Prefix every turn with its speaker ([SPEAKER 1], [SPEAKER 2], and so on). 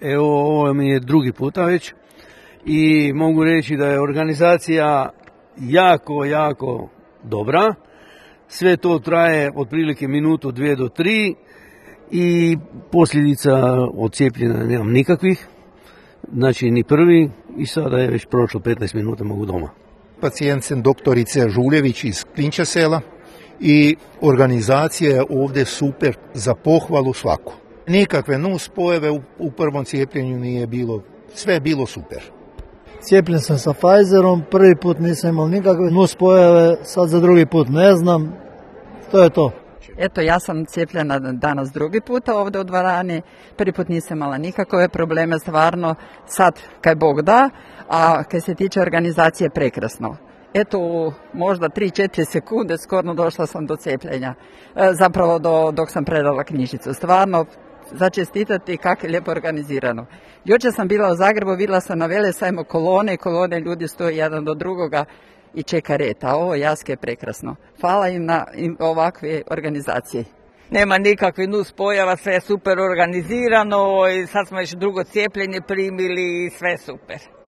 [SPEAKER 1] Evo, ovo mi je drugi puta već i mogu reći da je organizacija jako dobra. Sve to traje otprilike minutu, 2 do 3 i posljedica od cijepljenja nemam nikakvih. Znači ni prvi i sada je već prošlo 15 minuta, mogu doma.
[SPEAKER 2] Pacijent sam doktorice Žuljević iz Klinča sela i organizacija je ovdje super, za pohvalu svaku. Nikakve nuspojave u prvom cijepljenju nije bilo, sve je bilo super.
[SPEAKER 3] Cijepljen sam sa Pfizerom, prvi put nisam imao nikakve nuspojave, sad za drugi put ne znam, to je to.
[SPEAKER 4] Eto, ja sam cijepljena danas drugi puta ovdje u dvorani, prvi put nisam imala nikakve probleme, stvarno, sad kaj Bog da, a kaj se tiče organizacije prekrasno. Eto, možda 3-4 sekunde skoro došla sam do cijepljenja, zapravo dok sam predala knjižicu. Stvarno, za čestitati kako je lijepo organizirano. Jučer sam bila u Zagrebu, vidjela sam na Velesajmu kolone ljudi stoje jedan do drugoga i čeka red, a ovo Jaske je prekrasno. Hvala im na ovakve organizacije.
[SPEAKER 5] Nema nikakvih nuspojava, sve je super organizirano i sad smo još drugo cijepljenje primili i sve super.